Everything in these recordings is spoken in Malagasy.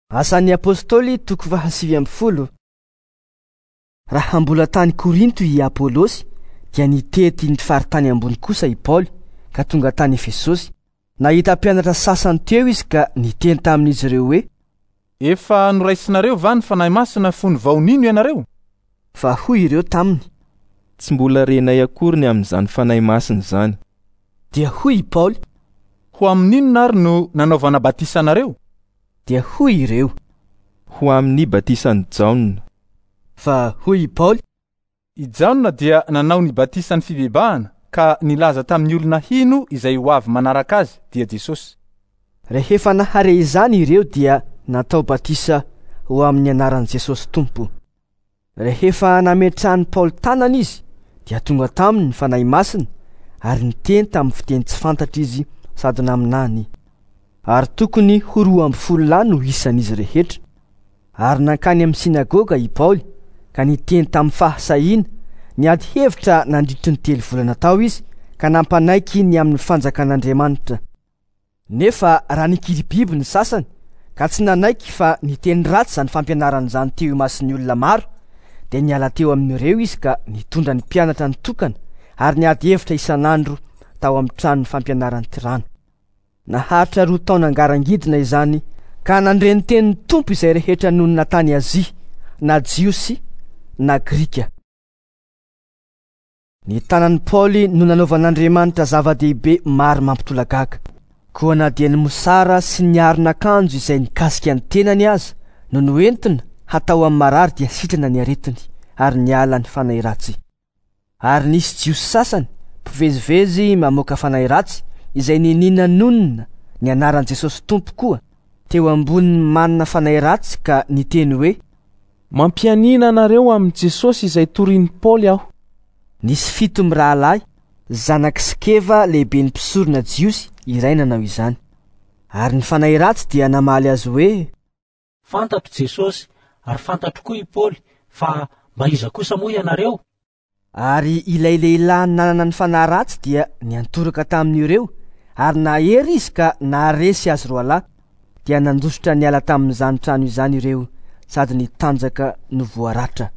Asan'ny Apostoly toko faha-19. Raha mbola tany Korinto i Apolosy, dia nitety ny faritany ambony kosa i Paoly, ka tonga tany Efesosy. Nahita mpianatra sasany teo izy ka niteny tamin'izy ireo hoe: Efa noraisinareo va ny Fanahy Masina fony vao nino ianareo? Fa hoy ireo taminy: Tsy mbola renay akory ny amin'izany Fanahy Masina izany. Dia hoy i Paoly: Ho amin'inona ary no nanaovana batisa anareo? Dia hoy ireo: Ho amin'ny batisan'i Jaona. Fa hoy i Paoly: I Jaona dia nanao ny batisan'ny fibebahana ka nilaza tamin'ny olona hino izay ho avy manaraka azy, dia Jesosy. Rehefa nahare izany ireo dia natao batisa ho amin'ny anaran'i Jesosy Tompo. Rehefa nametrahan'i Paoly tanana izy, dia tonga taminy ny Fanahy Masina, ary niteny tamin'ny fiteny tsy fantatra izy sady naminany. Ary tokony ho 12 lahy no isan'izy rehetra. Ary nankany amin'ny synagoga i Paoly, ka niteny tamin'ny fahasahiana, niady hevitra nandritry ny 3 volana tao izy, ka nampanaiky ny amin'ny fanjakan'Andriamanitra. Nefa raha nikiribiby ny sasany, ka tsy nanaiky fa niteny ratsy izany fampianarana izany teo imason'ny olona maro, dia niala teo amin'ireo izy ka nitondra ny mpianatra nitokana ary niady hevitra isan'andro tao amin'ny tranon'ny fampianaran'i Tirano. Naharitra 2 taona ngarangidina izany, ka nandre ny tenin'ny Tompo izay rehetra nonina tany Azia, na Jiosy na Grika. Ny tanan'i Paoly no nanaovan'Andriamanitra zava-dehibe maro mampitolagaga. Koa na dia ny mosara sy ny aron'akanjo izay nikasika ny tenany aza no noentina hatao amin'ny marary dia sitrana ny aretiny ary niala ny fanahy ratsy. Ary nisy Jiosy sasany mpivezivezy mamoaka fanahy ratsy izay niniana nonina ny anaran'i Jesosy Tompo koa teo ambonin'ny manana fanahy ratsy ka niteny hoe: Mampianiana anareo amin'i Jesosy izay torian'i Paoly aho. Nisy 7 mirahalahy, zanak'i Skeva lehiben'ny mpisorona Jiosy iray nanao izany. Ary ny fanahy ratsy dia namaly azy hoe: Fantatro Jesosy ary fantatro koa i Paoly, fa mba iza kosa moa ianareo? Ary ilay lehilahy nanana ny fanahy ratsy dia niantoraka tamin'ireo, ary nahery izy ka naharesy azy roalahy, dia nandositra niala tamin'izany trano izany ireo, sady nitanjaka no voaratra.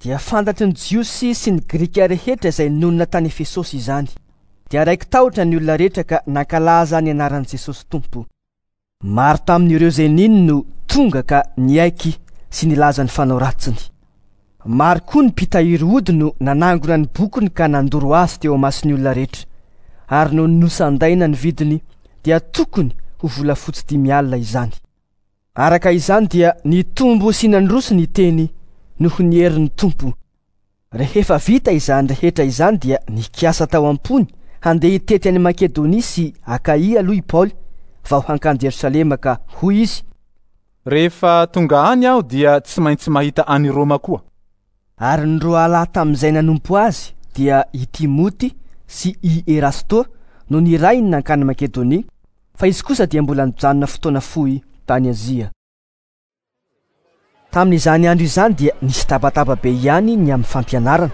Dia fantatry ny Jiosy sy ny Grika rehetra izay nonina tany Efesosy izany. Dia raiki-tahotra ny olona rehetra ka nankalaza ny anaran'i Jesosy Tompo. Maro tamin'ireo izay nino no tonga ka niaiky sy nilaza ny fanao ratsiny. Maro koa ny mpitahiry ody no nanangona ny bokiny ka nandoro azy teo amason'ny olona rehetra. Ary noho ny nosandaina ny vidiny dia tokony ho volafotsy 50 izany. Araka izany dia nitombo sy nandroso ny teny noho ny herin'ny Tompo. Rehefa vita izany rehetra izany dia nikasa tao am-pony handeha hitety any Makedonia sy Akaia aloha i Paoly vao hankany Jerosalema ka hoy izy: Rehefa tonga any aho dia tsy maintsy mahita any Roma koa. Ary ny roalahy tamin'izay nanompo azy dia i Timoty sy i Erasto no nirahiny nankany Makedonia, fa izy kosa dia mbola nijanona fotoana fohy tany Azia. Tamin'izany andro izany dia nisy tabataba be ihany ny amin'ny fampianarana.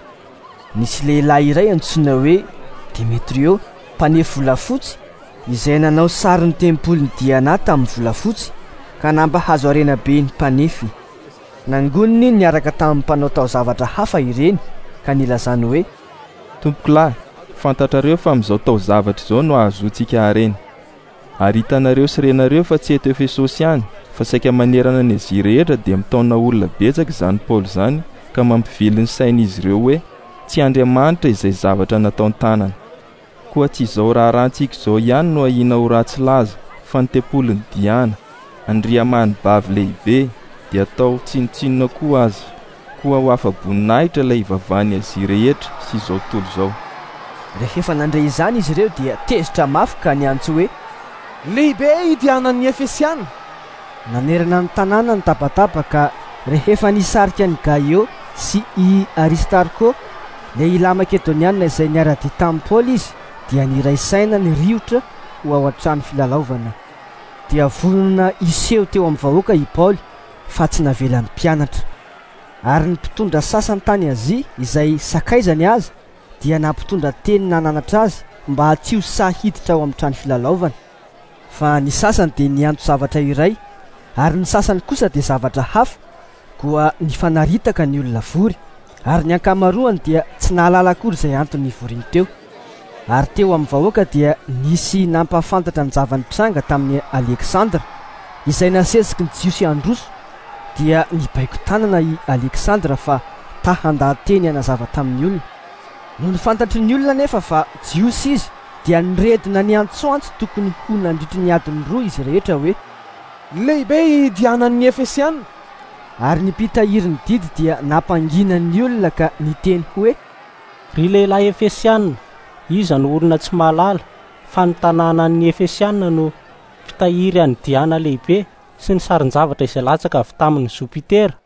Nisy lehilahy iray antsoina hoe Demetrio, mpanefy volafotsy, izay nanao sarin'ny tempolin'i Diana tamin'ny volafotsy, ka nampahazo harena be ny mpanefy. Nangoniny niaraka tamin'ny mpanao taozavatra hafa ireny, ka nilazany hoe: Tompokolahy, fantatrareo fa amin'izao taozavatra izao no ahazoantsika harena. Ary hitanareo sy renareo fa tsy eto Efesosy ihany, fa saika manerana ny Azia rehetra dia mitaona olona betsaka izany Paoly izany, ka mampivily ny sain'izy ireo hoe tsy Andriamanitra izay zavatra nataon-tanana. Koa tsy izao raharahantsika izao ihany no ahiana ho ratsy laza, fa ny tempolin'i Diana, andriamanibavy lehibe, dia atao tsinontsinona koa aza. Koa ho afa-boninahitra ilay ivavahan'ny Azia rehetra sy izao tontolo izao. Rehefa nandre izany izy ireo dia tezitra mafy ka niantso hoe: Lehibe i Dianan'ny Efesiana! Nanerana ny tanàna ny tabataba ka rehefa nisarika an'i Gaio sy i Aristarko, lehilahy makedoniana izay niara-dia tamin'i Paoly izy, dia niray saina ny riotra ho ao an-trano filalaovana. Dia vonona hiseho teo amin'ny vahoaka i Paoly, fa tsy navelan'ny mpianatra. Ary ny mpitondra sasany tany Azia izay sakaizany aza dia nampitondra teny nananatra azy mba tsy ho sahy hiditra ao amin'ny trano filalaovana. Fa ny sasany dia niantso zavatra iray ary ny sasany kosa dia zavatra hafa. Koa nifanaritaka ny olona vory, ary ny ankamaroany dia tsy nahalala akory izay antony nivoriany teo. Ary teo amin'ny vahoaka dia nisy nampahafantatra ny zava-nitranga tamin'i Aleksandra, izay nasesiky ny Jiosy handroso, dia nibaiko tanana i Aleksandra fa ta handaha-teny hanazava tamin'ny olona. Nony fantatry ny olona anefa fa Jiosy izy, dia niredona niantsoantso tokony ho nandritry ny adiny roa izy rehetra hoe. Lehibe i Dianan'ny Efesiana! Ary ny mpitahiry ny didy dia nampangina ny olona ka niteny hoe. Ry lehilahy Efesiana, iza no olona tsy mahalala fa ny tanànan'ny Efesiana no mpitahiry an'i Diana lehibe sy ny sarin-javatra izay latsaka avy tamin'i Jopitera?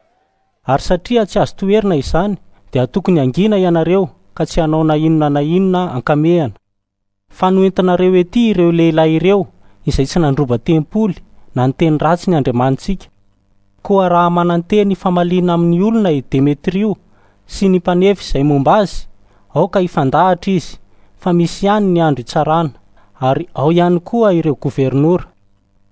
Ary satria tsy azo toherina izany, dia tokony hangina ianareo ka tsy hanao na inona na inona an-kamehana. Fa noentinareo ety ireo lehilahy ireo izay tsy nandroba tempoly na niteny ratsy ny andriamanitsika. Koa raha manan-teny hifamaliana amin'ny olona i Demetrio sy ny mpanefy izay momba azy, aoka hifandahatra izy, fa misy ihany ny andro hitsarana, ary ao ihany koa ireo governora.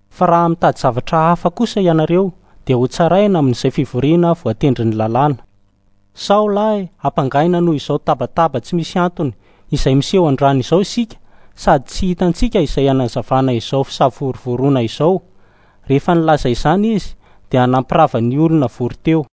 Fa raha mitady zavatra hafa kosa ianareo, dia hotsaraina amin'izay fivoriana voatendrin'ny lalàna. Sao lahy hampangaina noho izao tabataba tsy misy antony izay miseho androany izao isika sady tsy hitantsika izay hanazavana izao fisavorovoroana izao. Rehefa nilaza izany izy dia nampirava ny olona vory teo.